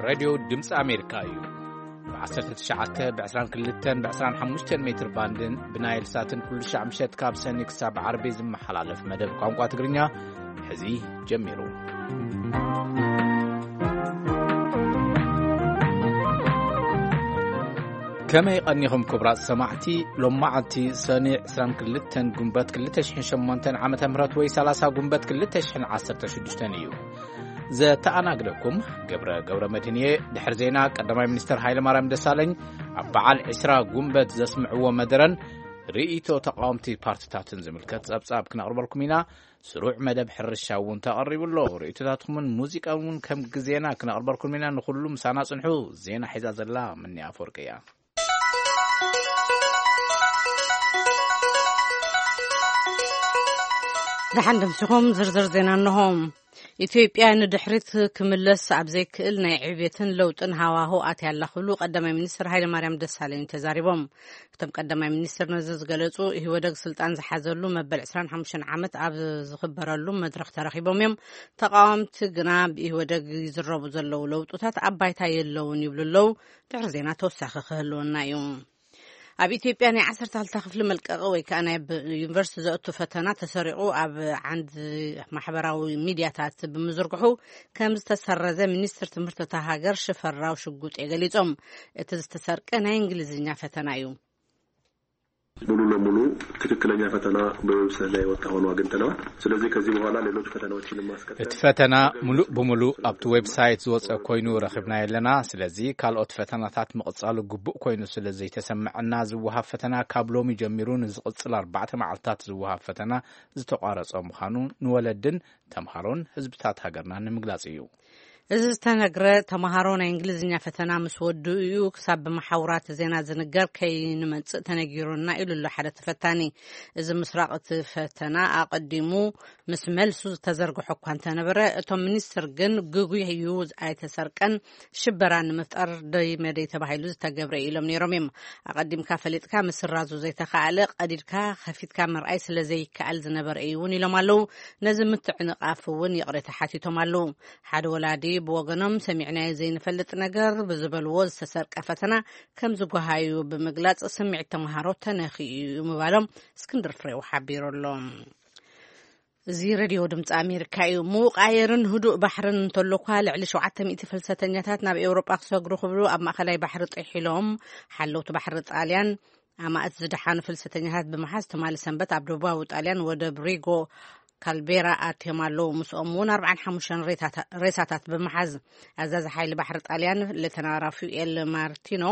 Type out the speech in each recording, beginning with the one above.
ሬድዮ ድምፂ ኣሜሪካ እዩ። ብ19፣ ብ22፣ ብ25 ሜትር ባንድን ብናይል ሳትን ኩሉ ሻዕ ምሸት ካብ ሰኒ ክሳብ ዓርቢ ዝመሓላለፍ መደብ ቋንቋ ትግርኛ ሕዚ ጀሚሩ። ከመይ ቀኒኹም ክቡራት ሰማዕቲ? ሎማዓንቲ ሰኒ 22 ጉንበት 2008 ዓመተ ምህረት ወይ 30 ጉንበት 2016 እዩ። ዘተኣናግደኩም ገብረ ገብረ መድህን እየ። ድሕሪ ዜና ቀዳማይ ሚኒስትር ሃይለ ማርያም ደሳለኝ ኣብ በዓል 20 ጉንበት ዘስምዕዎ መደረን ርእይቶ ተቃወምቲ ፓርቲታትን ዝምልከት ጸብጻብ ክነቕርበልኩም ኢና። ስሩዕ መደብ ሕርሻ እውን ተቐሪቡ ኣሎ። ርእይቶታትኩምን ሙዚቃ እውን ከም ግዜና ክነቕርበልኩም ኢና። ንኹሉ ምሳና ጽንሑ። ዜና ሒዛ ዘላ ምንያ ኣፈወርቂ እያ። ደሓን ደምሲኹም ዝርዝር ዜና እንሆ። ኢትዮጵያ ንድሕሪት ክምለስ ኣብ ዘይክእል ናይ ዕብየትን ለውጥን ሃዋሁ ኣትያ ኣላ ክብሉ ቀዳማይ ሚኒስትር ሃይለማርያም ደሳለኝ ተዛሪቦም። እቶም ቀዳማይ ሚኒስትር ነዚ ዝገለጹ ኢህወደግ ስልጣን ዝሓዘሉ መበል 25 ዓመት ኣብ ዝኽበረሉ መድረኽ ተረኺቦም እዮም። ተቃወምቲ ግና ብኢህወደግ ይዝረቡ ዘለዉ ለውጥታት ኣብ ባይታ የለውን ይብሉ ኣለዉ። ድሕሪ ዜና ተወሳኺ ክህልወና እዩ። ኣብ ኢትዮጵያ ናይ 12ታ ክፍሊ መልቀቂ ወይ ከዓ ናይ ብ-፣ ዩኒቨርሲቲ ዘእቱ ፈተና ተሰሪቑ ኣብ ዓንዲ ማሕበራዊ ሚዲያታት ብምዝርግሑ ከም ዝተሰረዘ ሚኒስትር ትምህርቲ እታ ሃገር ሽፈራው ሽጉጤ ገሊጾም። እቲ ዝተሰርቀ ናይ እንግሊዝኛ ፈተና እዩ። ሙሉ ለሙሉ ትክክለኛ ፈተና በዌብሳይት ላይ የወጣ ሆኖ አግኝተነዋል። ስለዚህ ከዚህ በኋላ ሌሎች ፈተናዎችን ማስቀጠል እቲ ፈተና ሙሉእ ብሙሉእ ኣብቲ ዌብሳይት ዝወፀ ኮይኑ ረኺብናዮ ኣለና። ስለዚ ካልኦት ፈተናታት ምቕፃሉ ግቡእ ኮይኑ ስለ ዘይተሰምዐና ዝወሃብ ፈተና ካብ ሎሚ ጀሚሩ ንዝቕፅል ኣርባዕተ መዓልትታት ዝወሃብ ፈተና ዝተቋረፀ ምዃኑ ንወለድን ተምሃሮን ህዝብታት ሃገርና ንምግላፅ እዩ። እዚ ዝተነግረ ተምሃሮ ናይ እንግሊዝኛ ፈተና ምስ ወድኡ እዩ ክሳብ ብመሓውራት ዜና ዝንገር ከይንመጽእ ተነጊሩና ኢሉ ኣሎ ሓደ ተፈታኒ። እዚ ምስራቕ እቲ ፈተና ኣቐዲሙ ምስ መልሱ ዝተዘርግሖ እኳ እንተነበረ፣ እቶም ሚኒስትር ግን ግጉይ እዩ ኣይተሰርቀን፣ ሽበራ ንምፍጣር ደይ መደይ ተባሂሉ ዝተገብረ ኢሎም ነይሮም እዮም። ኣቐዲምካ ፈሊጥካ ምስራዙ ዘይተኻእለ ቀዲድካ ከፊትካ ምርኣይ ስለ ዘይከኣል ዝነበረ እዩ እውን ኢሎም ኣለዉ። ነዚ ምትዕንቓፍ እውን ይቕሬታ ሓቲቶም ኣለዉ። ሓደ ወላዲ ብወገኖም ሰሚዕናዮ ዘይንፈልጥ ነገር ብዝበልዎ ዝተሰርቀ ፈተና ከም ዝጓሃዩ ብምግላጽ ስምዒት ተምሃሮ ተነኺኡ እዩ ምባሎም እስክንድር ፍሬው ሓቢሩ ኣሎ። እዚ ሬድዮ ድምፂ ኣሜሪካ እዩ። ምዉቕ ኣየርን ህዱእ ባሕርን እንተሎ እኳ ልዕሊ 700 ፍልሰተኛታት ናብ ኤውሮጳ ክሰግሩ ክብሉ ኣብ ማእኸላይ ባሕሪ ጥሒሎም። ሓለውቲ ባሕሪ ጣልያን ኣማእት ዝደሓኑ ፍልሰተኛታት ብምሓዝ ትማሊ ሰንበት ኣብ ደቡባዊ ጣልያን ወደብ ሪጎ ካልቤራ ኣትዮም ኣለዉ። ምስኦም እውን 45 ሬሳታት ብምሓዝ ኣዛዚ ሓይሊ ባሕሪ ጣልያን ሌተና ራፋኤል ማርቲኖ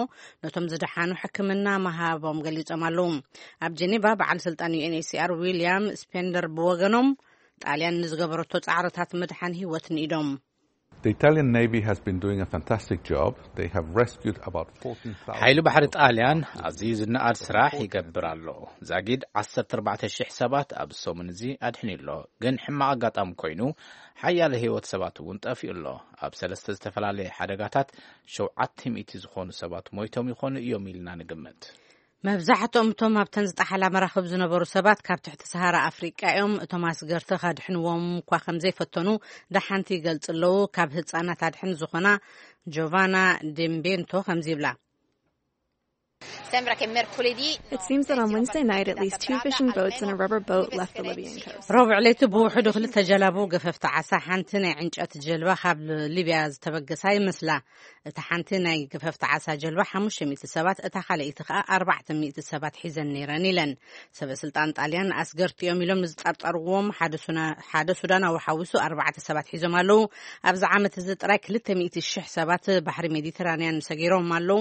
ነቶም ዝደሓኑ ሕክምና ምሃቦም ገሊጾም ኣለዉ። ኣብ ጀኔቫ በዓል ስልጣን ዩ ኤን ኤች ሲ ኣር ዊልያም ስፔንደር ብወገኖም ጣልያን ንዝገበረቶ ጻዕርታት ምድሓን ህይወት ንኢዶም። The Italian Navy has been doing a fantastic job. They have rescued about 14,000 ሓይሊ ባሕሪ ጣልያን ኣዝዩ ዝነኣድ ስራሕ ይገብር ኣሎ። ዛጊድ 14,000 ሰባት ኣብ ሰሙን እዚ ኣድሕኑ ኣሎ። ግን ሕማቕ ኣጋጣሚ ኮይኑ ሓያለ ህይወት ሰባት እውን ጠፊኡ ኣሎ። ኣብ ሰለስተ ዝተፈላለየ ሓደጋታት 700 ዝኾኑ ሰባት ሞይቶም ይኾኑ እዮም ኢልና ንግምት። መብዛሕትኦም እቶም ኣብተን ዝጠሓላ መራኽብ ዝነበሩ ሰባት ካብ ትሕቲ ሰሃራ ኣፍሪቃ እዮም። እቶም ኣስገርቲ ከድሕንዎም እኳ ከም ዘይፈተኑ ደሓንቲ ይገልጹ ኣለዉ። ካብ ህጻናት ኣድሕን ዝኾና ጆቫና ዴምቤንቶ ከምዚ ይብላ። Sembra che mercoledì It seems that on Wednesday night, at least two fishing boats and a rubber boat left the Libyan coast. ረቡዕ ለይቲ ብውሕዱ ክልተ ጀላቡ ገፈፍቲ ዓሳ፣ ሓንቲ ናይ ዕንጨት ጀልባ ካብ ሊብያ ዝተበገሳ ይመስላ። እታ ሓንቲ ናይ ገፈፍቲ ዓሳ ጀልባ 500 ሰባት፣ እታ ካልኣይቲ ከኣ 400 ሰባት ሒዘን ነይረን ኢለን። ሰበ ስልጣን ጣልያን ኣስገርቲ እዮም ኢሎም ንዝጠርጠርዎም ሓደ ሱና-፣ ሓደ ሱዳናዊ ሓዊሱ ኣርባዕተ ሰባት ሒዞም ኣለዉ። ኣብዚ ዓመት እዚ ጥራይ 200,000 ሰባት ባሕሪ ሜዲተራንያን ሰጊሮም ኣለዉ።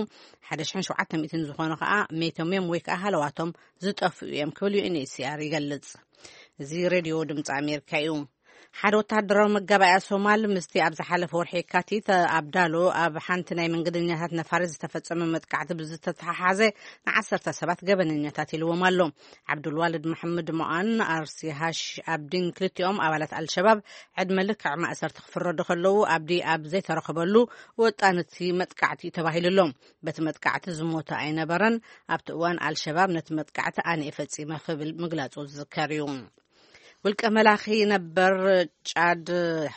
1,700 ዝኾኑ ከኣ መይቶም እዮም ወይ ከኣ ሃለዋቶም ዝጠፍኡ እዮም ክብል ዩ ኤን ኤች ሲ ኣር ይገልጽ። እዚ ሬድዮ ድምፂ ኣሜሪካ እዩ። ሓደ ወታደራዊ መጋባእያ ሶማል ምስቲ ኣብ ዝሓለፈ ወርሒ የካቲት ኣብ ዳሎ ኣብ ሓንቲ ናይ መንገደኛታት ነፋሪት ዝተፈጸመ መጥቃዕቲ ብዝተተሓሓዘ ንዓሰርተ ሰባት ገበነኛታት ኢልዎም ኣሎ። ዓብዱልዋልድ መሐመድ ሞኣን ኣርሲ ሃሽ ኣብዲን ክልቲኦም ኣባላት ኣልሸባብ ዕድመ ልክዕ ማእሰርቲ ክፍረዱ ከለዉ፣ ኣብዲ ኣብ ዘይተረኸበሉ ወጣን እቲ መጥቃዕቲ እዩ ተባሂሉ ኣሎ። በቲ መጥቃዕቲ ዝሞተ ኣይነበረን። ኣብቲ እዋን ኣልሸባብ ነቲ መጥቃዕቲ ኣነ እየ ፈጺመ ክብል ምግላጹ ዝዝከር እዩ። ውልቀ መላኺ ነበር ጫድ፣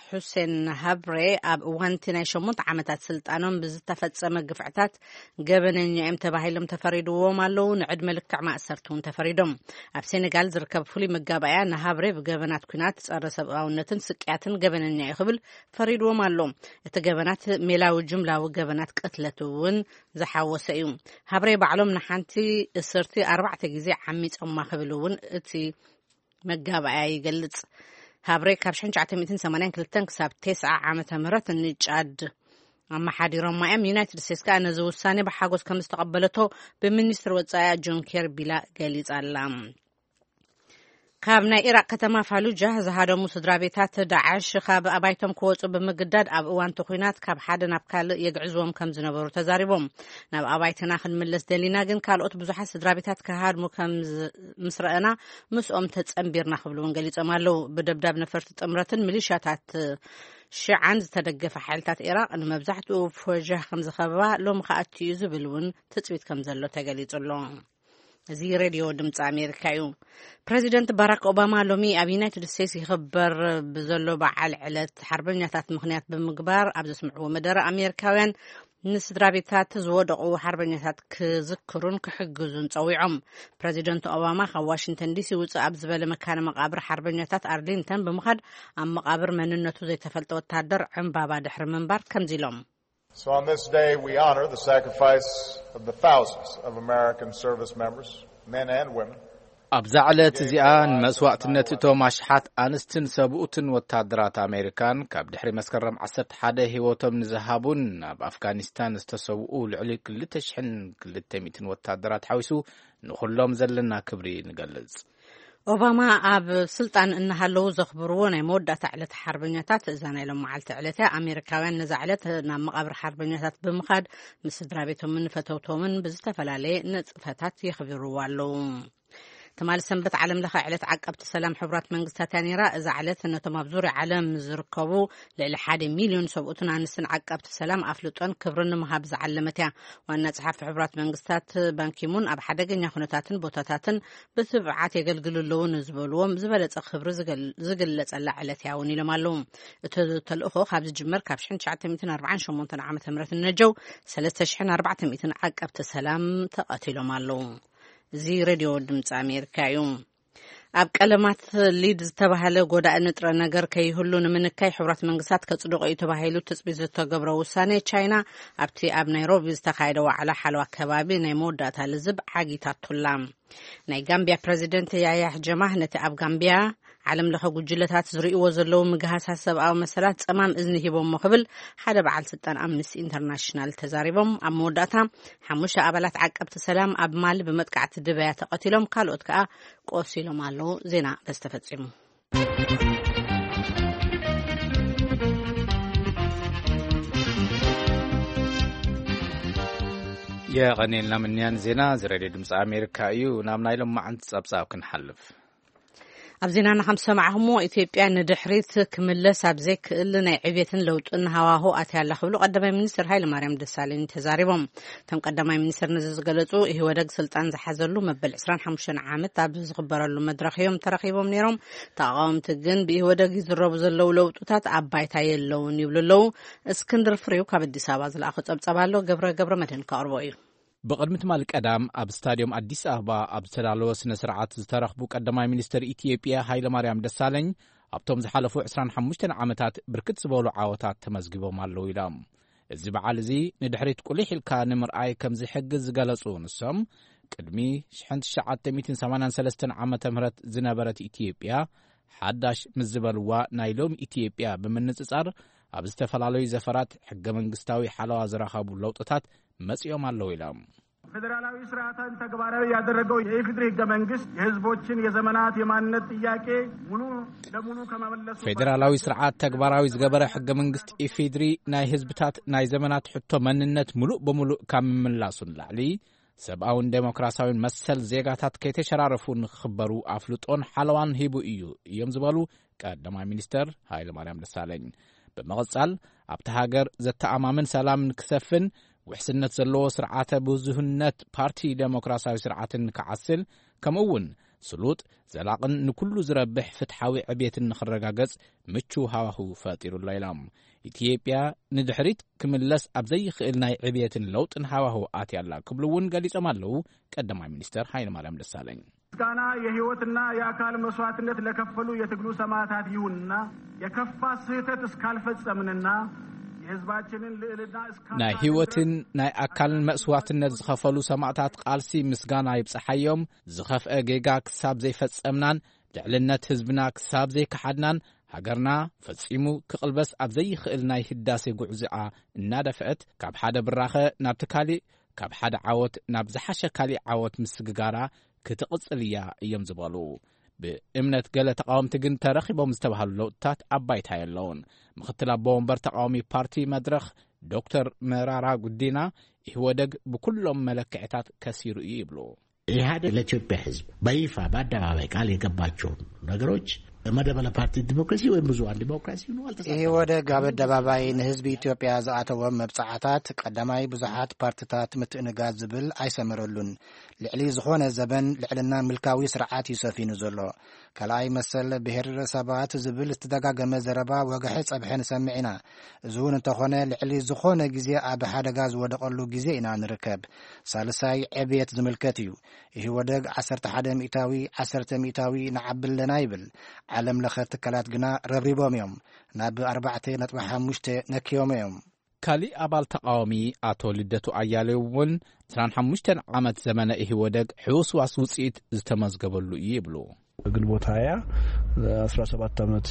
ሑሴን ሃብሬ፣ ኣብ እዋንቲ ናይ ሸሞንተ ዓመታት ስልጣኖም ብዝተፈጸመ ግፍዕታት ገበነኛ እዮም ተባሂሎም ተፈሪድዎም ኣለዉ። ንዕድመ ልክዕ ማእሰርቲ እውን ተፈሪዶም። ኣብ ሴኔጋል ዝርከብ ፍሉይ መጋባእያ ንሃብሬ ብገበናት ኲናት፣ ጸረ ሰብኣውነትን ስቅያትን ገበነኛ እዩ ክብል ፈሪድዎም ኣሎ። እቲ ገበናት ሜላዊ ጅምላዊ ገበናት ቅትለት እውን ዝሓወሰ እዩ። ሃብሬ ባዕሎም ንሓንቲ እስርቲ ኣርባዕተ ግዜ ዓሚጾማ ክብል እውን እቲ መጋባእያ ይገልጽ። ሃብሬ ካብ ሽሕን ትሽዓተ ሚእትን ሰማንያን ክልተን ክሳብ ተስዓ ዓመተ ምህረት ንጫድ ኣመሓዲሮማ እዮም። ዩናይትድ ስቴትስ ከኣ ነዚ ውሳኔ ብሓጎስ ከም ዝተቐበለቶ ብሚኒስትሪ ወጻኢኣ ጆን ኬርቢ ገሊጻ ኣላ። ካብ ናይ ኢራቅ ከተማ ፋሉጃ ዝሃደሙ ስድራ ቤታት ዳዕሽ ካብ ኣባይቶም ክወጹ ብምግዳድ ኣብ እዋን እቲ ኲናት ካብ ሓደ ናብ ካልእ የግዕዝዎም ከም ዝነበሩ ተዛሪቦም። ናብ ኣባይትና ክንምለስ ደሊና፣ ግን ካልኦት ብዙሓት ስድራ ቤታት ክሃድሙ ከም ዝ-፣ ምስ ረኣና ምስኦም ተጸንቢርና ክብሉ እውን ገሊጾም ኣለዉ። ብደብዳብ ነፈርቲ ጥምረትን ሚሊሻታት ሽዓን ዝተደገፈ ሓይልታት ኢራቅ ንመብዛሕትኡ ፎጃህ ከም ዝኸበባ ሎሚ ከኣ ኣትዩ ዝብል እውን ትጽቢት ከም ዘሎ ተገሊጹ ኣሎ። እዚ ሬድዮ ድምፂ ኣሜሪካ እዩ። ፕሬዚደንት ባራክ ኦባማ ሎሚ ኣብ ዩናይትድ ስቴትስ ይኽበር ብዘሎ በዓል ዕለት ሓርበኛታት ምኽንያት ብምግባር ኣብ ዘስምዕዎ መደረ፣ ኣሜሪካውያን ንስድራ ቤታት ዝወደቑ ሓርበኛታት ክዝክሩን ክሕግዙን ጸዊዖም። ፕሬዚደንት ኦባማ ካብ ዋሽንግተን ዲሲ ውፅእ ኣብ ዝበለ መካነ መቃብር ሓርበኛታት ኣርሊንተን ብምኻድ፣ ኣብ መቃብር መንነቱ ዘይተፈልጠ ወታደር ዕምባባ ድሕሪ ምንባር ከምዚ ኢሎም። So on this day, we honor the sacrifice of the thousands of American service members, men and women. ኣብዛ ዕለት እዚኣ ንመስዋእትነት እቶም ኣሽሓት ኣንስትን ሰብኡትን ወታደራት ኣሜሪካን፣ ካብ ድሕሪ መስከረም ዓሰርተ ሓደ ህይወቶም ንዝሃቡን ኣብ ኣፍጋኒስታን ዝተሰውኡ ልዕሊ ክልተ ሽሕን ክልተ ሚእትን ወታደራት ሓዊሱ፣ ንኹሎም ዘለና ክብሪ ንገልጽ። ኦባማ ኣብ ስልጣን እናሃለዉ ዘኽብርዎ ናይ መወዳእታ ዕለት ሓርበኛታት እዛ ናይ ሎም መዓልቲ ዕለት እያ። ኣሜሪካውያን ነዛ ዕለት ናብ መቓብር ሓርበኛታት ብምኻድ ምስ ስድራ ቤቶምን ፈተውቶምን ብዝተፈላለየ ንጥፈታት የኽብርዎ ኣለዉ። ትማሊ ሰንበት ዓለም ለኸ ዕለት ዓቀብቲ ሰላም ሕቡራት መንግስታት እያ ነይራ። እዛ ዕለት ነቶም ኣብ ዙርያ ዓለም ዝርከቡ ልዕሊ ሓደ ሚልዮን ሰብኡትን ኣንስትን ዓቀብቲ ሰላም ኣፍልጦን ክብርን ንምሃብ ዝዓለመት እያ። ዋና ጸሓፊ ሕቡራት መንግስታት ባንኪሙን ኣብ ሓደገኛ ኩነታትን ቦታታትን ብትብዓት የገልግሉ ኣለዉ ንዝበልዎም ዝበለጸ ክብሪ ዝገል-፣ ዝግለጸላ ዕለት እያ እውን ኢሎም ኣለዉ። እቲ ተልእኾ ካብ ዝጅመር ካብ ሽሕን ትሽዓተ ሚእትን ኣርባዓን ሸሞንተን ዓመተ ምህረት ንነጀው ሰለስተ ሽሕን ኣርባዕተ ሚእትን ዓቀብቲ ሰላም ተቐቲሎም ኣለዉ። እዚ ሬድዮ ድምፂ ኣሜሪካ እዩ። ኣብ ቀለማት ሊድ ዝተባህለ ጎዳኢ ንጥረ ነገር ከይህሉ ንምንካይ ሕቡራት መንግስታት ከጽድቆ እዩ ተባሂሉ ትጽቢት ዝተገብረ ውሳኔ፣ ቻይና ኣብቲ ኣብ ናይሮቢ ዝተኻየደ ዋዕላ ሓለዋ ከባቢ ናይ መወዳእታ ልዝብ ዓጊታቱላ። ናይ ጋምቢያ ፕረዚደንት ያያ ጀማህ ነቲ ኣብ ጋምቢያ ዓለም ለኸ ጉጅለታት ዝርእይዎ ዘለዉ ምግሃሳት ሰብኣዊ መሰላት ጸማም እዝኒ ሂቦሞ ክብል ሓደ በዓል ስልጣን ኣምነስቲ ኢንተርናሽናል ተዛሪቦም። ኣብ መወዳእታ ሓሙሽተ ኣባላት ዓቀብቲ ሰላም ኣብ ማሊ ብመጥቃዕቲ ድበያ ተቐቲሎም፣ ካልኦት ከኣ ቆሲሎም ኣለዉ። ዜና በዚ ተፈጺሙ። የቐኔልና ምንያን ዜና እዚ ሬድዮ ድምፂ ኣሜሪካ እዩ። ናብ ናይ ሎማዓንቲ ጸብጻብ ክንሓልፍ። ኣብ ዜናና ከም ዝሰማዕኹምዎ፣ ኢትዮጵያ ንድሕሪት ክምለስ ኣብ ዘይክእል ናይ ዕቤትን ለውጥን ሃዋሁ ኣትያ ኣላ ክብሉ ቀዳማይ ሚኒስትር ሃይለ ማርያም ደሳለኝ ተዛሪቦም። እቶም ቀዳማይ ሚኒስትር ነዚ ዝገለጹ፣ ኢህወደግ ስልጣን ዝሓዘሉ መበል ዕስራን ሓሙሽተን ዓመት ኣብ ዝኽበረሉ መድረኽ እዮም ተረኺቦም ነይሮም። ተቓወምቲ ግን ብኢህወደግ ይዝረቡ ዘለዉ ለውጥታት ኣብ ባይታ የለውን ይብሉ ኣለዉ። እስክንድር ፍሬው ካብ ኣዲስ ኣበባ ዝለኣኾ ጸብጻብ ኣሎ፣ ገብረ ገብረ መድህን ከቕርቦ እዩ። ብቕድሚ ትማሊ ቀዳም ኣብ ስታድዮም ኣዲስ ኣበባ ኣብ ዝተዳለወ ስነ ስርዓት ዝተረኽቡ ቀዳማይ ሚኒስትር ኢትዮጵያ ሃይለማርያም ደሳለኝ፣ ኣብቶም ዝሓለፉ ዕስራን ሓሙሽተን ዓመታት ብርክት ዝበሉ ዓወታት ተመዝጊቦም ኣለዉ ኢሎም። እዚ በዓል እዚ ንድሕሪት ቁሊሕ ኢልካ ንምርኣይ ከም ዝሕግዝ ዝገለጹ ንሶም፣ ቅድሚ ሽሕን ትሽዓተ ሚእትን ሰማንያን ሰለስተን ዓመተ ምህረት ዝነበረት ኢትዮጵያ ሓዳሽ ምስ ዝበልዋ ናይ ሎሚ ኢትዮጵያ ብምንጽጻር፣ ኣብ ዝተፈላለዩ ዘፈራት ሕገ መንግስታዊ ሓለዋ ዝረኸቡ ለውጥታት መጺኦም ኣለዉ ኢሎም። ፌዴራላዊ ስርዓትን ተግባራዊ ያደረገው የኢፌዴሪ ህገ መንግስት የህዝቦችን የዘመናት የማንነት ጥያቄ ሙሉ ለሙሉ ከመመለሱ ፌዴራላዊ ስርዓት ተግባራዊ ዝገበረ ሕገ መንግስት ኢፌዴሪ ናይ ህዝብታት ናይ ዘመናት ሕቶ መንነት ሙሉእ በሙሉእ ካብ ምምላሱ ንላዕሊ፣ ሰብኣውን ዴሞክራሲያውን መሰል ዜጋታት ከይተሸራረፉ ንክኽበሩ ኣፍልጦን ሓለዋን ሂቡ እዩ እዮም ዝበሉ ቀዳማይ ሚኒስተር ሃይለማርያም ደሳለኝ፣ ብምቕጻል ኣብቲ ሃገር ዘተኣማምን ሰላም ንክሰፍን ውሕስነት ዘለዎ ስርዓተ ብዙህነት ፓርቲ ደሞክራሲያዊ ስርዓትን ክዓስል፣ ከምኡ እውን ስሉጥ፣ ዘላቕን ንኩሉ ዝረብሕ ፍትሓዊ ዕብየትን ንኽረጋገጽ ምቹው ሃዋህው ፈጢሩ ኣሎ ኢሎም። ኢትዮጵያ ንድሕሪት ክምለስ ኣብ ዘይኽእል ናይ ዕብየትን ለውጥን ሃዋህው ኣትያ ኣላ ክብሉ እውን ገሊጾም ኣለዉ ቀዳማይ ሚኒስተር ሃይለማርያም ደሳለኝ። ምስጋና የህይወትና የአካል መስዋዕትነት ለከፈሉ የትግሉ ሰማዕታት ይሁንና፣ የከፋ ስህተት እስካልፈጸምንና የህዝባችንን ልዕልና እስካልናድን ናይ ህይወትን ናይ ኣካልን መስዋዕትነት ዝኸፈሉ ሰማዕታት ቃልሲ ምስጋና ይብጽሓዮም። ዝኸፍአ ጌጋ ክሳብ ዘይፈጸምናን ልዕልነት ህዝብና ክሳብ ዘይከሓድናን፣ ሃገርና ፈጺሙ ክቕልበስ ኣብ ዘይኽእል ናይ ህዳሴ ጉዕዞኣ እናደፍአት፣ ካብ ሓደ ብራኸ ናብቲ ካሊእ፣ ካብ ሓደ ዓወት ናብ ዝሓሸ ካሊእ ዓወት ምስግጋራ ክትቕጽል እያ እዮም ዝበሉ። ብእምነት ገለ ተቓወምቲ ግን ተረኺቦም ዝተባህሉ ለውጥታት ኣብ ባይታ የለውን። ምኽትል ኣቦ ወንበር ተቓዋሚ ፓርቲ መድረኽ ዶክተር መራራ ጉዲና፣ ኢህወደግ ብኩሎም መለክዕታት ከሲሩ እዩ ይብሉ። ኢህአዴግ ለኢትዮጵያ ህዝብ በይፋ በአደባባይ ቃል የገባቸውን ነገሮች መደበለ ፓርቲ ዲሞክራሲ ወይም ብዙሃን ዲሞክራሲ ይብሉ አልተሳተፈም። ኢህወደግ ኣብ ኣደባባይ ንህዝቢ ኢትዮጵያ ዝኣተዎም መብጻዓታት ቀዳማይ ብዙሓት ፓርትታት ምትእንጋድ ዝብል ኣይሰመረሉን። ልዕሊ ዝኾነ ዘበን ልዕልና ምልካዊ ስርዓት እዩ ሰፊኑ ዘሎ። ካልኣይ መሰል ብሄረሰባት ዝብል ዝተደጋገመ ዘረባ ወግሐ ጸብሐ ንሰምዕ ኢና። እዚ እውን እንተኾነ ልዕሊ ዝኾነ ግዜ ኣብ ሓደጋ ዝወደቐሉ ግዜ ኢና ንርከብ። ሳልሳይ ዕብየት ዝምልከት እዩ። ኢህወደግ ዓሰርተ ሓደ ሚእታዊ፣ ዓሰርተ ሚእታዊ ንዓቢ ኣለና ይብል። ዓለም ለኸ ትካላት ግና ረብሪቦም እዮም። ናብ ኣርባዕተ ነጥቢ ሓሙሽተ ነክዮም እዮም። ካሊእ ኣባል ተቓዋሚ ኣቶ ልደቱ ኣያሌው እውን ዕስራን ሓሙሽተን ዓመት ዘመነ ኢህወደግ ሕውስዋስ ውጽኢት ዝተመዝገበሉ እዩ ይብሉ። ግንቦት ሃያ፣ አስራ ሰባት ዓመት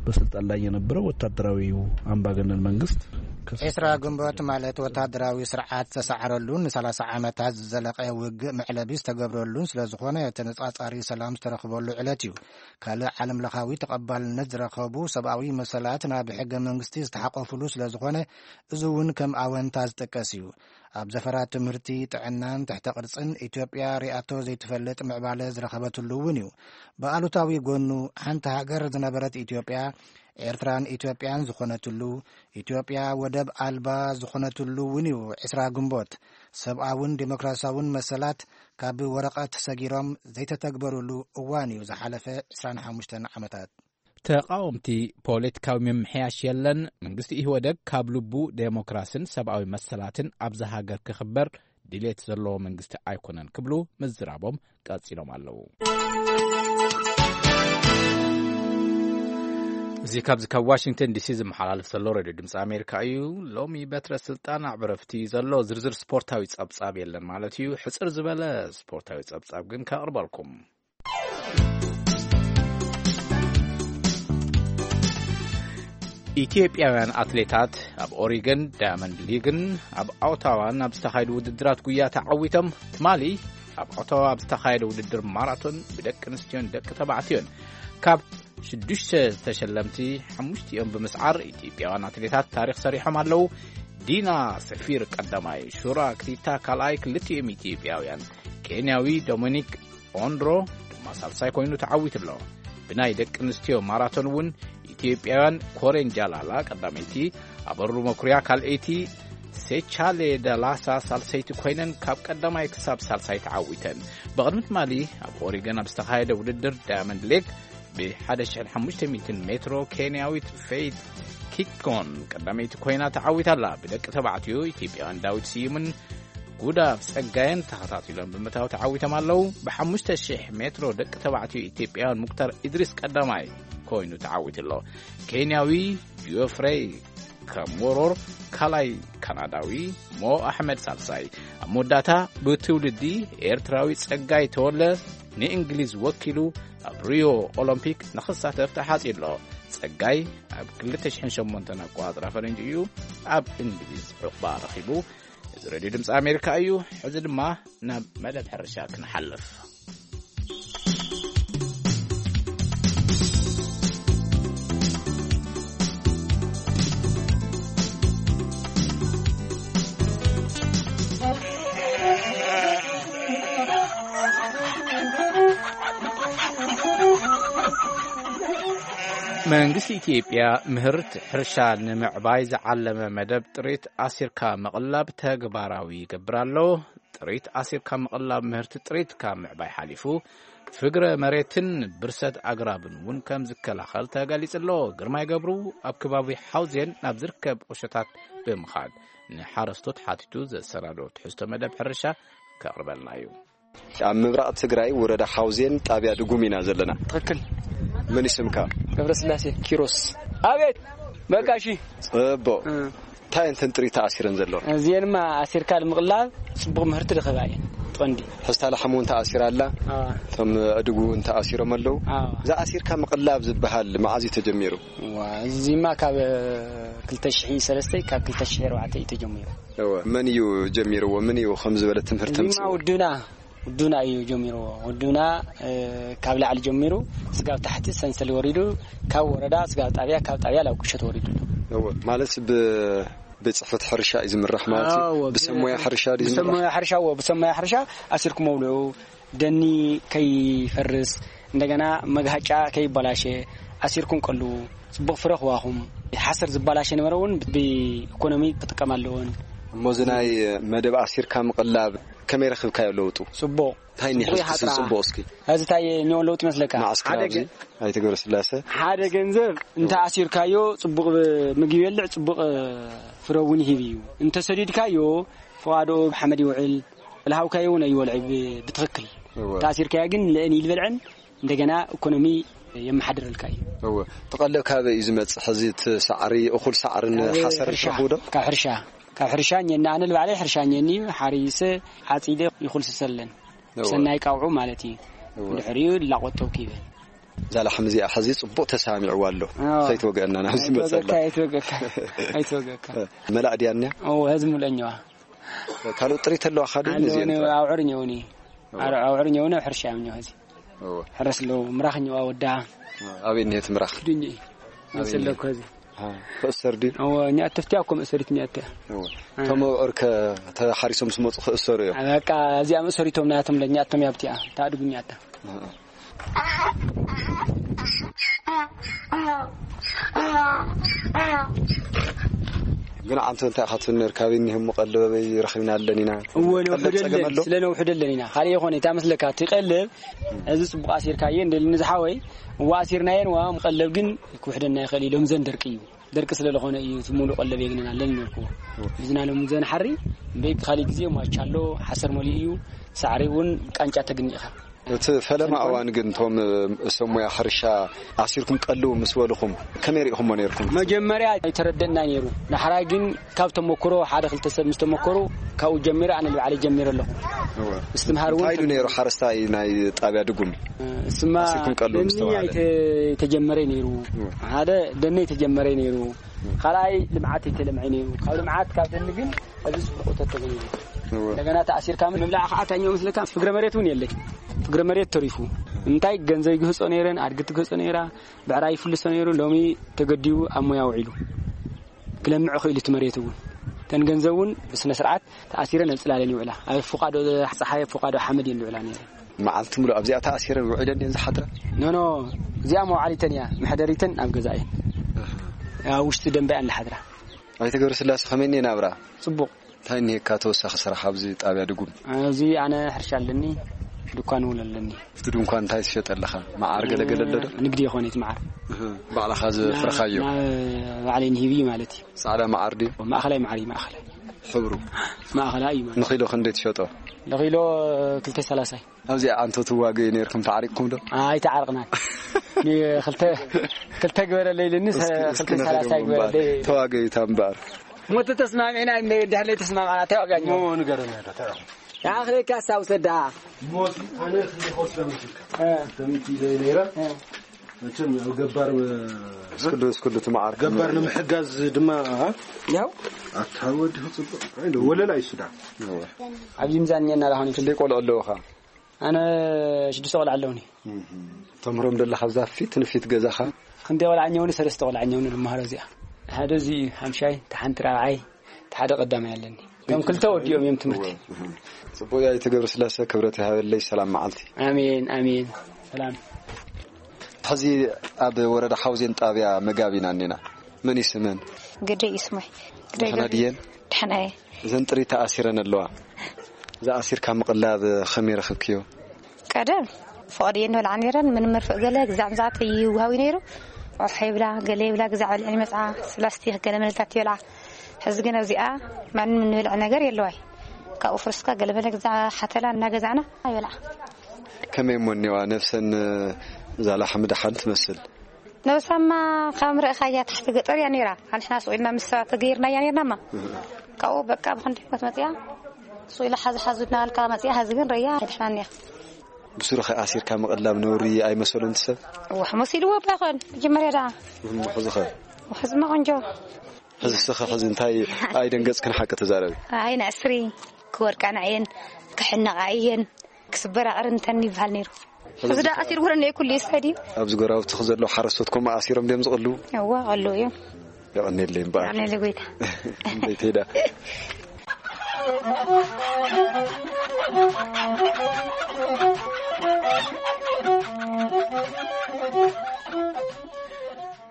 በስልጣን ላይ የነበረው ወታደራዊው አምባገነን መንግስት ከስ- ዕስራ ግንቦት ማለት ወታደራዊ ስርዓት ዝተሳዕረሉን ንሰላሳ ዓመታት ዝዘለቐ ውግእ መዕለቢ ዝተገብረሉን ስለ ዝኾነ ተነጻጻሪ ሰላም ዝተረኽበሉ ዕለት እዩ። ካልእ ዓለም ለኻዊ ተቐባልነት ዝረኸቡ ሰብኣዊ መሰላት ናብ ሕገ መንግስቲ ዝተሓቆፍሉ ስለ ዝኾነ እዚ እውን ከም ኣወንታ ዝጥቀስ እዩ። ኣብ ዘፈራት ትምህርቲ፣ ጥዕናን ትሕተ ቅርጽን ኢትዮጵያ ሪኣቶ ዘይትፈልጥ ምዕባለ ዝረኸበትሉ እውን እዩ። ብኣሉታዊ ጎኑ ሓንቲ ሃገር ዝነበረት ኢትዮጵያ ኤርትራን ኢትዮጵያን ዝኾነትሉ፣ ኢትዮጵያ ወደብ ኣልባ ዝኾነትሉ እውን እዩ። ዕስራ ግንቦት ሰብኣውን ዴሞክራሲያውን መሰላት ካብ ወረቐት ሰጊሮም ዘይተተግበሩሉ እዋን እዩ ዝሓለፈ ዕስራን ሓሙሽተን ዓመታት። ተቓወምቲ ፖለቲካዊ ምምሕያሽ የለን፣ መንግስቲ ኢህወደግ ካብ ልቡ ዴሞክራስን ሰብኣዊ መሰላትን ኣብዛ ሃገር ክኽበር ድሌት ዘለዎ መንግስቲ ኣይኮነን ክብሉ ምዝራቦም ቀጺሎም ኣለዉ። እዚ ካብዚ ካብ ዋሽንግተን ዲሲ ዝመሓላለፍ ዘሎ ሬድዮ ድምፂ ኣሜሪካ እዩ። ሎሚ በትረ ስልጣን ኣዕብረፍቲ ዘሎ ዝርዝር ስፖርታዊ ጸብጻብ የለን ማለት እዩ። ሕጽር ዝበለ ስፖርታዊ ጸብጻብ ግን ከቕርበልኩም። ኢትዮጵያውያን ኣትሌታት ኣብ ኦሪገን ዳያመንድ ሊግን ኣብ ኦታዋን ኣብ ዝተኻየዱ ውድድራት ጉያ ተዓዊቶም። ትማሊ ኣብ ኦታዋ ኣብ ዝተኻየደ ውድድር ማራቶን ብደቂ ኣንስትዮን ደቂ ተባዕትዮን ካብ ሽዱሽተ ዝተሸለምቲ ሓሙሽቲኦም ብምስዓር ኢትዮጵያውያን ኣትሌታት ታሪኽ ሰሪሖም ኣለዉ። ዲና ሰፊር ቀዳማይ፣ ሹራ ክቲታ ካልኣይ፣ ክልቲኦም ኢትዮጵያውያን፣ ኬንያዊ ዶሚኒክ ኦንድሮ ድማ ሳልሳይ ኮይኑ ተዓዊቱ ኣሎ። ብናይ ደቂ ኣንስትዮ ማራቶን እውን ኢትዮጵያውያን ኮሬን ጃላላ ቀዳመይቲ፣ ኣበሩ መኩርያ ካልኣይቲ፣ ሴቻሌ ደላሳ ሳልሰይቲ ኮይነን ካብ ቀዳማይ ክሳብ ሳልሳይ ተዓዊተን። ብቕድሚ ትማሊ ኣብ ኦሪገን ኣብ ዝተኻየደ ውድድር ዳያመንድ ሊግ ብሓደ ሽሕን ሓሙሽተ ሚእትን ሜትሮ ኬንያዊት ፌይት ኪኮን ቀዳመይቲ ኮይና ተዓዊታ ኣላ። ብደቂ ተባዕትዮ ኢትዮጵያውያን ዳዊት ስዩምን ጉዳፍ ጸጋየን ተኸታቲሎም ብምእታው ተዓዊቶም ኣለዉ። ብሓሙሽተ ሽሕ ሜትሮ ደቂ ተባዕትዮ ኢትዮጵያውያን ሙክታር ኢድሪስ ቀዳማይ ኮይኑ ተዓዊቱ ኣሎ። ኬንያዊ ጂኦፍሬይ ከሞሮር ካልኣይ፣ ካናዳዊ ሞ ኣሕመድ ሳልሳይ። ኣብ መወዳእታ ብትውልዲ ኤርትራዊ ጸጋይ ተወለ ንእንግሊዝ ወኪሉ ኣብ ሪዮ ኦሎምፒክ ንኽሳተፍ ተሓጺ ኣሎ። ጸጋይ ኣብ ክልተ ሽሕን ሸሞንተን ኣቆጻጽራ ፈረንጂ እዩ ኣብ እንግሊዝ ዕቑባ ረኺቡ። እዚ ሬድዮ ድምፂ ኣሜሪካ እዩ። ሕዚ ድማ ናብ መደብ ሕርሻ ክንሓልፍ። መንግስቲ ኢትዮጵያ ምህርቲ ሕርሻ ንምዕባይ ዝዓለመ መደብ ጥሪት ኣሲርካ ምቕላብ ተግባራዊ ይገብር ኣሎ። ጥሪት ኣሲርካ ምቕላብ ምህርቲ ጥሪት ካብ ምዕባይ ሓሊፉ ፍግረ መሬትን ብርሰት ኣግራብን እውን ከም ዝከላኸል ተገሊጹ ኣሎ። ግርማይ ገብሩ ኣብ ከባቢ ሓውዜን ናብ ዝርከብ ቁሸታት ብምኻድ ንሓረስቶት ሓቲቱ ዘሰናዶ ትሕዝቶ መደብ ሕርሻ ከቕርበልና እዩ። ኣብ ምብራቕ ትግራይ ወረዳ ሓውዜን ጣብያ ድጉም ኢና ዘለና። ትኽክል። መን ይስምካ? ገብረስላሴ ኪሮስ። ኣቤት። በቃ እሺ። ጽቡቕ። እ። እንታይ እንተን ጥሪት ተኣሲረን ዘለዋ? እዚኤንማ ኣሲርካ ንምቕላብ ጽቡቕ ምህርቲ ድኸባ እየን። ትቐንዲ። ሕስታ ላሕም እውን ተኣሲራ ኣላ። ኣዋ። እቶም ኣእዱግ እውን ተኣሲሮም ኣለዉ። ኣዋ። እዛ ኣሲርካ ምቕላብ ዝበሃል መዓዝ እዩ ተጀሚሩ? ዋ፣ እዚማ ካብ ክልተ ሽሕ ሰለስተ ካብ ክልተ ሽሕ ኣርባዕተ እዩ ተጀሚሩ። እወ። መን እዩ ጀሚርዎ? ምን እዩ ከም ዝበለ ትምህርቲ እዚማ ምጽዎ? ውዱና፣ ውዱና እዩ ጀሚርዎ። ውዱና፣ እ፣ ካብ ላዕሊ ጀሚሩ ስጋብ ታሕቲ ሰንሰል ወሪዱ ካብ ወረዳ ስጋብ ጣብያ፣ ካብ ጣብያ ናብ ቁሸት ወሪዱ ኣሎ። እወ። ማለት ብ-፣ ቤት ጽሕፈት ሕርሻ እዩ ዝምራሕ ማለት እዩ? ኣዎ፣ ብሰብ ሞያ ሕርሻ ድዩ ዝምራሕ? ብሰብ ሞያ ሕርሻ፣ እዎ፣ ብሰብ ሞያ ሕርሻ ኣሲርኩም መውልዑ፣ ደኒ ከይፈርስ፣ እንደገና መግሃጫ ከይበላሸ ኣሲርኩም ቀልዉ፣ ጽቡቕ ፍረ ክዋኹም። ሓሰር ዝበላሸ ነበረ እውን ብኢኮኖሚ ክጥቀም ኣለዎን። እሞ እዚ ናይ መደብ ኣሲርካ ምቕላብ ከመይ ረኽብካዮ ለውጡ? ጽቡቕ። እንታይ እኒሀ ጽቡቕ እስኪ ይሓጥራ። ጽቡቕ እስኪ? እዚ እንታይ እኒኦ ለውጢ መስለካ? መዓስ ሓደ ክራብዚ? ገ-፣ ኣይተ ገብረስላሰ? ሓደ ገንዘብ እንተ ኣሲርካዮ ጽቡቕ ምግቢ ይበልዕ፣ ጽቡቕ ፍረ እውን ይህብ እዩ። እንተ ሰዲድካዮ ፈዋድኡ ብሓመድ ይውዕል፣ ለሃውካዮ እውን ኣይወልዕ ብ-፣ ብትኽክል። እወ። ተኣሲርካዮ ግን ልእን ይልበልዕን እንደገና ኢኮኖሚ የመሓድረልካ እዩ። እወ። እቲ ቀለብ ካበይ እዩ ዝመጽእ? ሕዚ እቲ ሳዕሪ፣ እኹል ሳዕርን ካብ ሓሰርን ሕርሻ፣ ትረኽቡ ዶ? ካብ ሕርሻ፣ ካብ ሕርሻ እኔና፣ ኣነ ልባዕለይ ሕርሻ እኔኒ፣ ሓሪሰ፣ ዓጺደ ይኹልስሰለን። እወ። ብሰናይ ቃውዑ ማለት እዩ። እወ። ድሕሪኡ ላቆጠብኩ ይበል። እዛ ላሕሚ እዚኣ ሕዚ ጽቡቕ ተሳሚዕዋ ኣሎ። እወ። ከይትወግአና ናብዚ መጸላ። ኣይትወገካ፣ ኣይትወገካ፣ ኣይትወገካ። መላእ ድያ እኒኣ? እወ፣ ህዝቢ ምለኛዋ። ካልኦት ጥሪት ኣለዋ ካዲ ኣለዎ፣ ነዚኤን ጥራይ? ኣውዕር እኒኦኒ። እወ። ኣውዕር እኒኦኒ፣ ሕርሻ እዮም እኒኦ ህዚ። እወ። ሕረስ ኣለዉ፣ ምራኽ እኒኦ ወዳ። ኣበይ እኒሄት ምራኽ? ክድኝ። ኣበይ መሰለኩ እኒሄት? ህዚ። ኣሃ። ክእሰር ድዩ? እወ፣ እኒኣ ተፍትያ እኮ መእሰሪት እኒኣ እያ። እወ። እ። እቶም ኣውዕር ከ ተሓሪሶም ዝመጹ ክእሰሩ እዮም? በቃ፣ እዚኣ መእሰሪቶም ናያቶም ለኛ እቶም ያብቲኣ፣ ታድጉ እኒኣ እያ። ኣሃ። ግን ዓንቶ እንታይ ኢኻ ትብል ነርካ? ኣበይ እኒሆም ቀለበይ ረኺብና ኣለን ኢና። እወ፣ ቀለብ ጸገም ነውሕደለን፣ ኣሎ? ስለ ነውሕደለን ኢና። ካልእ ይኾነ፣ እታ መስለካ፣ እቲ ቀለብ፣ እዚ ጽቡቕ ኣሲርካየ፣ እንደልኒ ዝሓወይ፣ እዋ ኣሲርናየን፣ እዋ ቀለብ ግን ክውሕደና ይኽእል እዩ፣ ሎም ዘን ደርቂ እዩ። ደርቂ ስለ ዝኾነ እዩ፣ እቲ ሙሉእ ቀለብ የግነና ኣለን ነርኩዎ። ብዝና ሎም ዘን ሓሪ፣ እምበይ፣ እቲ ካልእ ግዜ፣ ማቻሎ፣ ሓሰር መሊኡ እዩ፣ ሳዕሪ እውን ቃንጫ ተግኒ ኢኻ። እቲ ፈለማ እዋን ግን እቶም፣ እ፣ ሰብ ሞያ ሕርሻ ኣሲርኩም ቀልው ምስ በልኹም ከመይ ሪኢኹሞ ነይርኩም? መጀመርያ ኣይተረደእና ነይሩ። ዳሕራይ ግን ካብ ተመክሮ ሓደ ክልተ ሰብ ምስ ተመከሩ ካብኡ ጀሚረ ኣነ ንባዕለይ ጀሚረ ኣለኹ። እወ። ምስትምሃር እውን እንታይ ኢሉ ነይሩ ሓረስታይ ናይ ጣብያ ድጉም? እ፣ እስማ ኣሲርኩም ቀልው ምስ ደኒ ተባሃለ? ኣይተ-፣ ኣይተጀመረ ነይሩ። እወ። ሓደ ደኒ ኣይተጀመረ ነይሩ። ካልኣይ ልምዓት ኣይተለምዐ ነይሩ። ካብ ልምዓት ካብ ደኒ ግን ኣብዚ ጽቡቕ እቶት ተገይሩ። እወ። እንደገና ተኣሲርካ ምብላዕ ከዓ ታኛው ምስለካ ፍግረ መሬት እውን የለይ። ፍግረ መሬት ተሪፉ። እንታይ ገንዘብ ይግህጾ ነይረን፣ ኣድጊ ትግህጾ ነይራ፣ ብዕራይ ይፍልሶ ነይሩ፣ ሎሚ ተገዲቡ ኣብ ሞያ ውዒሉ። ክለምዕ ክኢሉ እቲ መሬት እውን። እተን ገንዘብ እውን ብስነ ስርዓት ተኣሲረን ኣብ ጽላለን ይውዕላ። ኣብ ፎቃዶ ጸሓይ፣ ኣብ ፎቃዶ ሓመድ እየን ዝውዕላ ነይረን። መዓልቲ ሙሉእ ኣብዚኣ ተኣሲረን ውዒለን እየን ዝሓድራ? ኖ፣ ኖ፣ እዚኣ መውዓሊተን እያ፣ መሕደሪተን ኣብ ገዛ እየን። ኣብ ውሽጢ ደንበ እየን ዝሓድራ። ኣይተ ገብረስላሴ ከመይ እኒአ ናብራ? ጽቡቕ። እንታይ እኒሄካ ተወሳኺ ስራሕ ኣብዚ ጣብያ ድጉም? ኣብዚ ኣነ ሕርሻ ኣለኒ፣ ድኳን እውን ኣለኒ። ኣብቲ ድንኳን እንታይ ትሸጥ ኣለኻ? መዓር ገለገለ ኣሎ ዶ? ንግዲ ይኾን እቲ መዓር። እህ፣ ባዕልኻ ዘፍረኻዮ? ናብ ባዕለይ ንሂብ እዩ ማለት እዩ። ጻዕዳ መዓር ድዩ? ማእኸላይ መዓር እዩ፣ ማእኸላይ። ሕብሩ? ማእኸላይ እዩ ማለት። ንኺሎ ክንደይ ትሸጦ? ንኺሎ ክልተ ሰላሳይ። ኣብዚኣ ኣንቶ ትዋገዩ ነይርኩም፣ ተዓሪቕኩም ዶ? ኣይተዓርቕናን። ክልተ፣ ክልተ ግበረለይ ኢሉኒ፣ እስኪ፣ እስኪ ክልተ ሰላሳ ንኺድዎም እምበኣር። ግበረለይ። ተዋገዩ እታ እምበኣር። ሞት ተስማሚዕና እንደ ድሕር ለይ ተስማማዕና፣ ተዋጋኝ። እሞ ንገረና ዶ፣ ተራ። ንኣኽለካ ኣስታውሰ ደኣ። ሞት ኣነ ክንዲ ክወስዳ መስልካ። እ። ከምቲ ኢለ ነይረ። እ። መቸም ኣብ ገባር፣ እ፣ እስክዱ፣ እስክዱ ትመዓር። ገባር ንምሕጋዝ ድማ፣ እ? ያው። ኣታ ወዲ ክጽብቕ። ኣይ፣ ወለላ ይሱዳ። እወ። ኣብዚ ምዛን እኛ እናላኾነ። ክንደይ ቆልዑ ኣለውኻ? ኣነ ሽዱሽተ ቆልዓ ኣለውኒ። እህ። ተምህሮም ደለኻ ኣብዛ ፊት ንፊት ገዛኻ? ክንደይ ቆልዓ እኛውኒ? ሰለስተ ቆልዓ እኛውኒ ዝመሃሮ እዚኣ። ሓደ እዚ ሓምሻይ፣ እቲ ሓንቲ ራብዓይ፣ እቲ ሓደ ቀዳማይ ኣለኒ። እቶም ክልተ ወዲኦም እዮም ትምህርቲ። እህ። ጽቡቅ እያ፣ ኣይተ ገብረስላሴ ክብረት ይሃበለይ። ሰላም መዓልቲ። ኣሜን፣ ኣሜን። ሰላም። ሕዚ ኣብ ወረዳ ሓውዜን ጣብያ መጋቢና እኒና። መን ይስመን? ግደይ ይስሞይ። ግደይ ደህና ገብሪ። ድየን? ደህና እየ። እዘን ጥሪት ተኣሲረን ኣለዋ። ዝኣሲርካ ምቕላብ ከመይ ረኽብክዮ? ቀደም ፍቕዲ እየን ንበልዓ ነይረን። ምንም መርፍእ ገለ ግዛዕ ምዛዕት ይውሃዊ ነይሩ። ዖሕ ይብላ፣ ገለ ይብላ፣ ግዛዕ በልዐን ይመፅዓ። ስላስቲክ ገለ መለታት ይበልዓ። ሕዚ ግን ኣብዚኣ ማንም እንበልዐ ነገር የለዋይ። ካብኡ ፍርስካ ገለ መለ ግዛዕ ሓተላ እናገዛዕና ይበልዓ። ከመይ እሞ እኒዋ ነፍሰን? እዛ ላሕሚ ደሓን ትመስል። ነብሳማ ካብ ምርኢኻያ ታሕቲ ገጠር እያ ነይራ። ኣንሕና ስቕ ኢልና ምስ ሰባት ተገይርናያ ነይርናማ። ካብኡ በቃ ብኽንደይ ሞት መፅያ። ስቕ ኢላ ሓዚ ሓዚ እናበልካ መፅያ፣ ሓዚ ግን ረያ ኣይድሕናን እያ። ብስሩ ኸ ኣሲርካ ምቕላብ ነውሪ ኣይመሰሉን እቲ ሰብ? ዋሕ መሲልዎ እባ ይኾን መጀመርያ ደኣ። እሞ ሕዚ ኸ? ዋሕ ሕዝማ ቆንጆ። ሕዚ ስኸ ሕዚ እንታይ ኣይደንገጽክን ሓቂ ተዛረቢ? ኣይ ንዕስሪ ክወድቃ ንዕየን ክሕነቓ እየን ክስበራ ቅርንተን ይበሃል ነይሩ። ሕዚ ሕዚ ደኣ ኣሲር ወረነ ኩሉ ይሰዲ። ኣብዚ ጎራብትኽ ዘለዉ ሓረስቶት ከምኡ ኣሲሮም ድዮም ዝቕልዉ? እዋ፣ ቀልዉ እዮም። የቐንየለይ እምበኣር። የቐንየለይ ጎይታ። እንበይተይ ደኣ።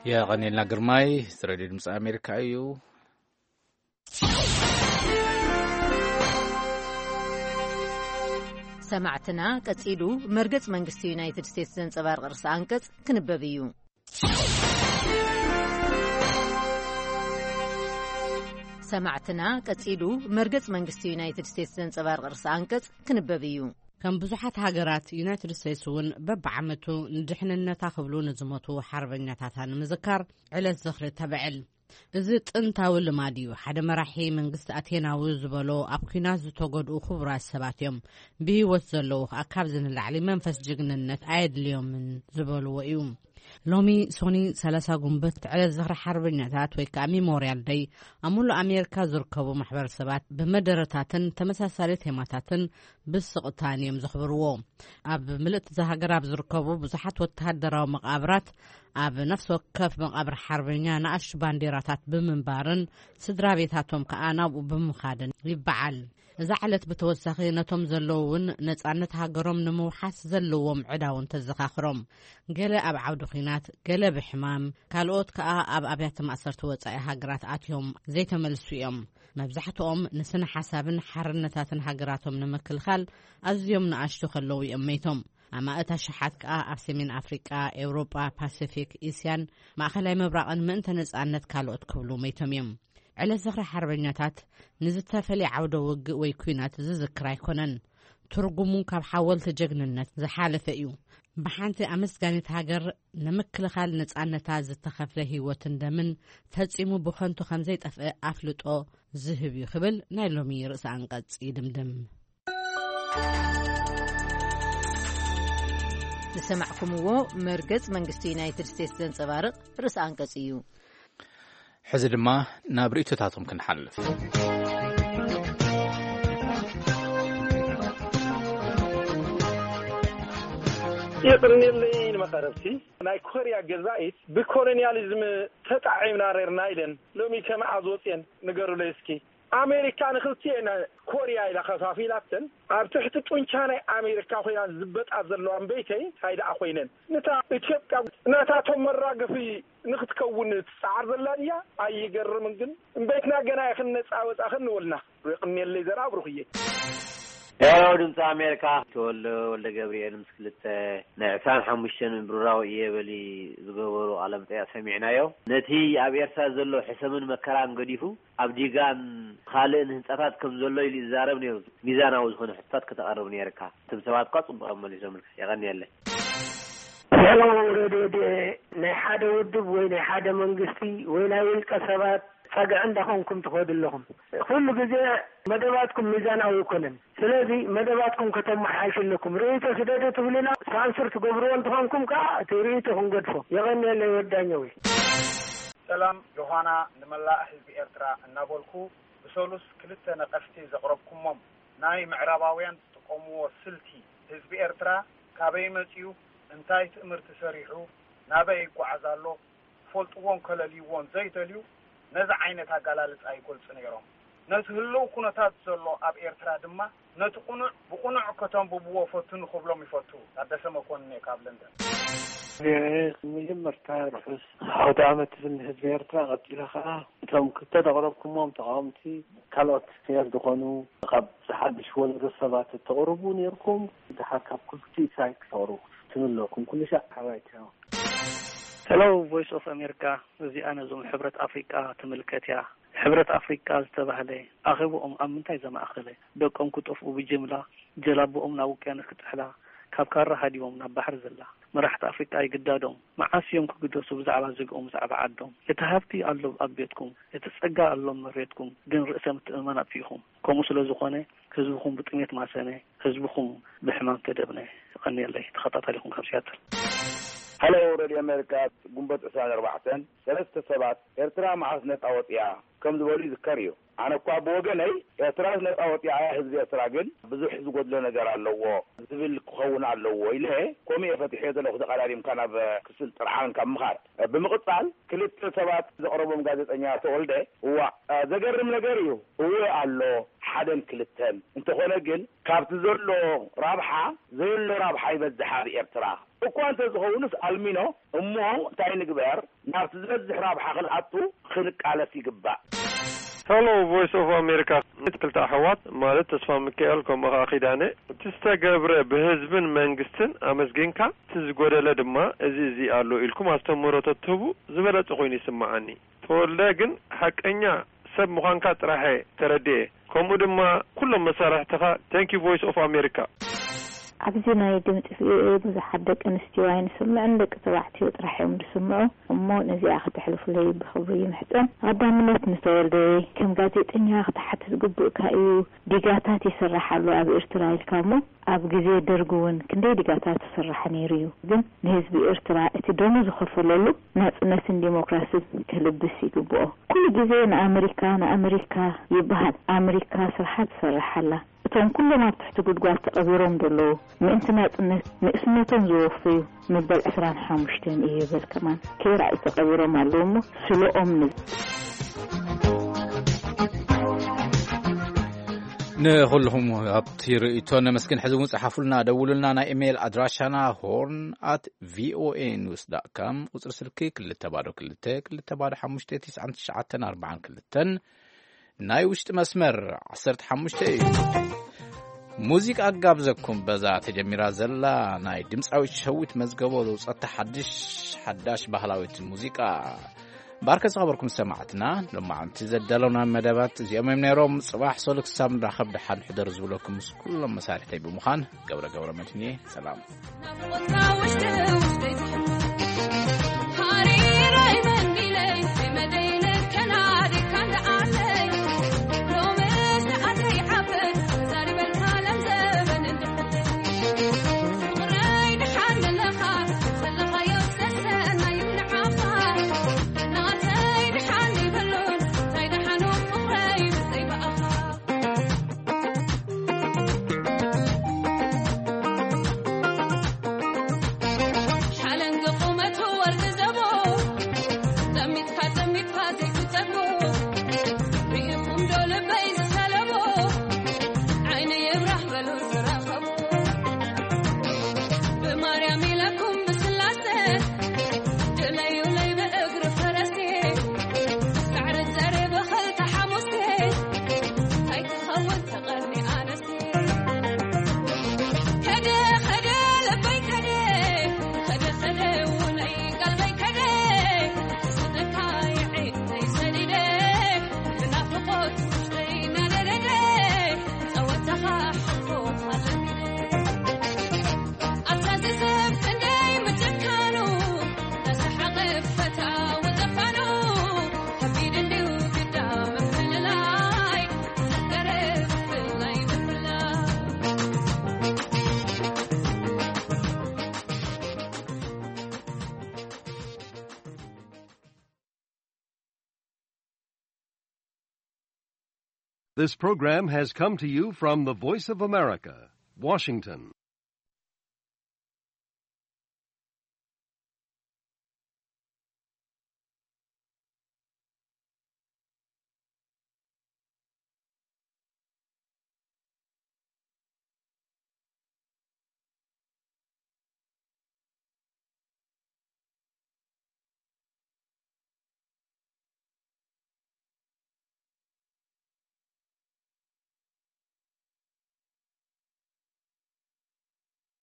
የቐንየልና ግርማይ፣ እዚ ሬድዮ ድምፂ ኣሜሪካ እዩ። ሰማዕትና፣ ቀጺሉ መርገጽ መንግስቲ ዩናይትድ ስቴትስ ዘንጸባርቕ ርእሰ ኣንቀጽ ክንበብ እዩ። ሰማዕትና፣ ቀጺሉ መርገጽ መንግስቲ ዩናይትድ ስቴትስ ዘንጸባርቕ ርእሰ ኣንቀጽ ክንበብ እዩ። ከም ብዙሓት ሃገራት፣ ዩናይትድ ስቴትስ እውን በብዓመቱ ንድሕንነታ ክብሉ ንዝሞቱ ሓርበኛታታ ንምዝካር ዕለት ዝኽሪ ተብዕል። እዚ ጥንታዊ ልማድ እዩ። ሓደ መራሒ መንግስቲ ኣቴናዊ ዝበሎ፣ ኣብ ኲናት ዝተጎድኡ ክቡራት ሰባት እዮም፣ ብህይወት ዘለዉ ከኣ ካብዚ ንላዕሊ መንፈስ ጅግንነት ኣየድልዮምን ዝበልዎ እዩ። ሎሚ ሶኒ ሰላሳ ጉንበት ዕለት ዝኽሪ ሓርበኛታት ወይ ከኣ ሚሞርያል ደይ ኣብ ሙሉእ ኣሜሪካ ዝርከቡ ማሕበረሰባት ብመደረታትን ተመሳሳሊ ቴማታትን ብስቕታን እዮም ዘኽብርዎ። ኣብ ምልእቲ እዛ ሃገር ኣብ ዝርከቡ ብዙሓት ወተሃደራዊ መቓብራት ኣብ ነፍሲ ወከፍ መቓብር ሓርበኛ ንኣሽቱ ባንዴራታት ብምንባርን ስድራ ቤታቶም ከኣ ናብኡ ብምኻድን ይበዓል። እዛ ዕለት ብተወሳኺ ነቶም ዘለዉ እውን ነጻነት ሃገሮም ንምውሓስ ዘለዎም ዕዳ እውን ተዘኻኽሮም። ገለ ኣብ ዓውዲ ኲናት፣ ገለ ብሕማም፣ ካልኦት ከኣ ኣብ ኣብያተ ማእሰርቲ ወጻኢ ሃገራት ኣትዮም ዘይተመልሱ እዮም። መብዛሕትኦም ንስነ ሓሳብን ሓርነታትን ሃገራቶም ንምክልኻል ኣዝዮም ንኣሽቱ ከለዉ እዮም መይቶም። ኣማእት ኣሽሓት ከኣ ኣብ ሰሜን ኣፍሪቃ፣ ኤውሮጳ፣ ፓሲፊክ፣ እስያን ማእኸላይ ምብራቕን ምእንተ ነጻነት ካልኦት ክብሉ መይቶም እዮም። ዕለት ዝኽሪ ሓርበኛታት ንዝተፈልየ ዓውደ ውግእ ወይ ኲናት ዝዝክር ኣይኮነን። ትርጉሙ ካብ ሓወልቲ ጀግንነት ዝሓለፈ እዩ። ብሓንቲ ኣመስጋኒት ሃገር ንምክልኻል ነጻነታ ዝተኸፍለ ህይወትን ደምን ፈጺሙ ብኸንቱ ከም ዘይጠፍእ ኣፍልጦ ዝህብ እዩ ክብል ናይ ሎሚ ርእሰ ኣንቀጽ ይድምድም። ዝሰማዕኩምዎ መርገጽ መንግስቲ ዩናይትድ ስቴትስ ዘንጸባርቕ ርእሰ ኣንቀጽ እዩ። ሕዚ ድማ ናብ ርእይቶታቶም ክንሓልፍ። ይቕርንየለይ ንመቐረብቲ። ናይ ኮርያ ገዛኢት ብኮሎንያሊዝም ተጣዒምና ኔርና ኢለን ሎሚ ከመዓዝ ወፅየን ንገሩለይ እስኪ። ኣሜሪካ ንክልቲኤን ኮርያ ኢላ ከፋፊላተን ኣብ ትሕቲ ጡንቻ ናይ ኣሜሪካ ኮይና ዝበጣ ዘለዋ እምበይተይ እንታይ ደኣ ኮይነን ንታ ኢትዮጵያ ናታቶም መራገፊ ንክትከውን ትፀዓር ዘላ ድያ? ኣይገርምን ግን እምበይትና ገና ኢኽን ነፃ ወፃእኽን ንበልና። የቕንየለይ ዘርኣ ብሩኽየ። ሄሎ ድምፂ ኣሜሪካ። ተወልደ ወልደ ገብርኤል ምስ ክልተ ናይ ዕስራን ሓሙሽተን ብሩራዊ እየ በሊ ዝገበሩ ቃለ መጠይቕ ሰሚዕናዮ። ነቲ ኣብ ኤርትራ ዘሎ ሕሰምን መከራን ገዲፉ ኣብ ዲጋን ካልእን ህንፃታት ከም ዘሎ ኢሉ ይዛረብ ነይሩ። ሚዛናዊ ዝኾነ ሕቶታት ከተቐርብ ነይርካ። እቶም ሰባት እኳ ፅቡቕ እዮም መሊሶምልካ። የቐንየለይ። ሄሎ ሬድዮ ድኤ ናይ ሓደ ውድብ ወይ ናይ ሓደ መንግስቲ ወይ ናይ ውልቀ ሰባት ጸግዒ እንዳኾንኩም ትኸዱ ኣለኹም። ኩሉ ግዜ መደባትኩም ሚዛናዊ ኣይኮነን። ስለዚ መደባትኩም ከተመሓይሹ ኣለኩም። ርእይቶ ስደዱ ትብሉና ሳንሱር ትገብርዎ እንተኾንኩም ከኣ እቲ ርእይቶ ክንገድፎ። የቐንየለይ ወዳኛዊ። ሰላም ዮሃና ንመላእ ህዝቢ ኤርትራ እናበልኩ ብሰሉስ ክልተ ነቐፍቲ ዘቕረብኩሞም ናይ ምዕራባውያን ዝጥቀምዎ ስልቲ ህዝቢ ኤርትራ ካበይ መጺኡ እንታይ ትእምርቲ ሰሪሑ ናበይ ይጓዓዝ ኣሎ ክፈልጥዎን ከለልይዎን ዘይደልዩ ነዚ ዓይነት ኣጋላልጻ ይገልጹ ነይሮም። ነቲ ህልው ኩነታት ዘሎ ኣብ ኤርትራ ድማ ነቲ ቁኑዕ ብቁኑዕ ከተንብብዎ ፈትኑ ክብሎም ይፈቱ። ታደሰ መኮንን እየ ካብ ለንደን። መጀመርታ ርሑስ ዓውደ ዓመት ዝብል ንህዝቢ ኤርትራ፣ ቀጺለ ከኣ እቶም ክልተ ዘቕረብኩሞም ተቓወምቲ ካልኦት ፍርያት ዝኾኑ ካብ ዝሓድሽ ወለዶ ሰባት እተቕርቡ ነይርኩም፣ ድሓር ካብ ክልቲኡ ሳይት ክተቕርቡ ትምለኩም። ኩሉ ሻዕ ሓባይ ቻው። ሄሎ ቮይስ ኦፍ ኣሜሪካ፣ እዚኣ ነዞም ሕብረት ኣፍሪቃ ትምልከት እያ። ሕብረት ኣፍሪቃ ዝተባህለ ኣኼባኦም ኣብ ምንታይ ዘማእኸለ? ደቆም ክጠፍኡ ብጅምላ፣ ጀላቦኦም ናብ ውቅያኖስ ክጥሕላ፣ ካብ ካራ ሃዲሞም ናብ ባሕሪ ዘላ። መራሕቲ ኣፍሪቃ ኣይግዳዶም። መዓስ እዮም ክግደሱ ብዛዕባ ዝግኦም፣ ብዛዕባ ዓዶም? እቲ ሃብቲ ኣሎ ኣብ ቤትኩም፣ እቲ ጸጋ ኣሎ ኣብ መሬትኩም፣ ግን ርእሰ ምትእምማን ኣጥፊእኹም። ከምኡ ስለ ዝኾነ ህዝብኹም ብጥሜት ማሰነ፣ ህዝብኹም ብሕማም ተደብነ። የቐንየለይ። ተኸታታሊኹም ካብ ሲያትል። ሃሎ ሬድዮ ኣሜሪካ፣ ግንቦት ዕስራን ኣርባዕተን ሰለስተ ሰባት ኤርትራ መዓስ ነጻ ወጺኣ ከም ዝበሉ ይዝከር እዩ። ኣነ እኳ ብወገነይ ኤርትራ ነጻ ወጺኣ እያ፣ ህዝቢ ኤርትራ ግን ብዙሕ ዝጎድሎ ነገር ኣለዎ ዝብል ክኸውን ኣለዎ ኢለ ከምኡ እየ ፈቲሐዮ ዘለኹ። ተቐዳዲምካ ናብ ክስል ጥርዓን ካብ ምኻድ ብምቕጻል ክልተ ሰባት ዘቕረቦም ጋዜጠኛ ተወልደ፣ እዋ ዘገርም ነገር እዩ። እወ ኣሎ ሓደን ክልተን። እንተኾነ ግን ካብቲ ዘሎ ራብሓ ዘየሎ ራብሓ ይበዝሕ ኣብ ኤርትራ። እኳ እንተዝኸውንስ ኣልሚኖ እሞ እንታይ ንግበር? ናብቲ ዝበዝሕ ራብሓ ክንኣቱ ክንቃለስ ይግባእ። ሄሎ ቮይስ ኦፍ ኣሜሪካ፣ ክልተ ኣሕዋት ማለት ተስፋ ሚካኤል ከምኡ ኸዓ ኪዳነ፣ እቲ ዝተገብረ ብህዝብን መንግስትን ኣመስጊንካ፣ እቲ ዝጎደለ ድማ እዚ እዚ ኣሎ ኢልኩም ኣስተምህሮ ተትህቡ ዝበለጸ ኮይኑ ይስምዓኒ። ተወልደ ግን ሓቀኛ ሰብ ምዃንካ ጥራሕ እየ ተረዲኤ። ከምኡ ድማ ኩሎም መሳርሕትኻ። Thank you Voice of America። ኣብዚ ናይ ድምፂ ቪኦኤ ብዙሓት ደቂ ኣንስትዮ ኣይንስምዕን፣ ደቂ ተባዕትዮ ጥራሕ እዮም ዝስምዑ። እሞ ነዚኣ ከተሕልፉለይ ብኽብሪ ይምሕፀን። ቀዳምነት ንተወልደ፣ ከም ጋዜጠኛ ክትሓትት ግቡእካ እዩ። ዲጋታት ይስራሕ ኣሎ ኣብ ኤርትራ ኢልካ እሞ ኣብ ግዜ ደርጊ እውን ክንደይ ዲጋታት ይስራሕ ነይሩ እዩ። ግን ንህዝቢ ኤርትራ እቲ ደሙ ዝኸፈለሉ ናጽነትን ዲሞክራስን ክልብስ ይግብኦ። ኩሉ ግዜ ንኣመሪካ ንኣመሪካ ይበሃል። ኣመሪካ ስርሓ ትሰርሕ ኣላ። እቶም ኩሎም ኣብ ትሕቲ ጉድጓድ ተቐቢሮም ዘለዉ ምእንቲ ናጽነት ንእስነቶም ዝወፈዩ መበል ዕስራን ሓሙሽተን እዩ ይበል ከማን ከይረኣዩ ተቐቢሮም ኣለዉ እሞ ስለኦም ንብል። ንኹልኹም ኣብቲ ርእይቶ ነመስግን። ሕዚ እውን ጸሓፉልና፣ ደውሉልና። ናይ ኢሜይል ኣድራሻና ሆርን ኣት ቪኦኤ ኒውስ ዳት ካም፣ ቁጽሪ ስልኪ ክልተ ባዶ ክልተ ክልተ ባዶ ሓሙሽተ ትሽዓን ትሽዓተን ኣርባዓን ክልተን፣ ናይ ውሽጢ መስመር ዓሰርተ ሓሙሽተ እዩ። ሙዚቃ ኣጋብዘኩም። በዛ ተጀሚራ ዘላ ናይ ድምፃዊት ሸዊት መዝገቦ ዘውፀታ ሓድሽ ሓዳሽ ባህላዊት ሙዚቃ። ባርከ ዝኸበርኩም ሰማዕትና፣ ሎማዓንቲ ዘዳለውና መደባት እዚኦም እዮም ነይሮም። ጽባሕ ሶሉክ ሳብ ንራኸብ ደሓን ሕደሩ ዝብለኩም ምስ ኩሎም መሳርሕተይ ብምዃን ገብረ ገብረ መድህን እየ። ሰላም። This program has come to you from the Voice of America, Washington.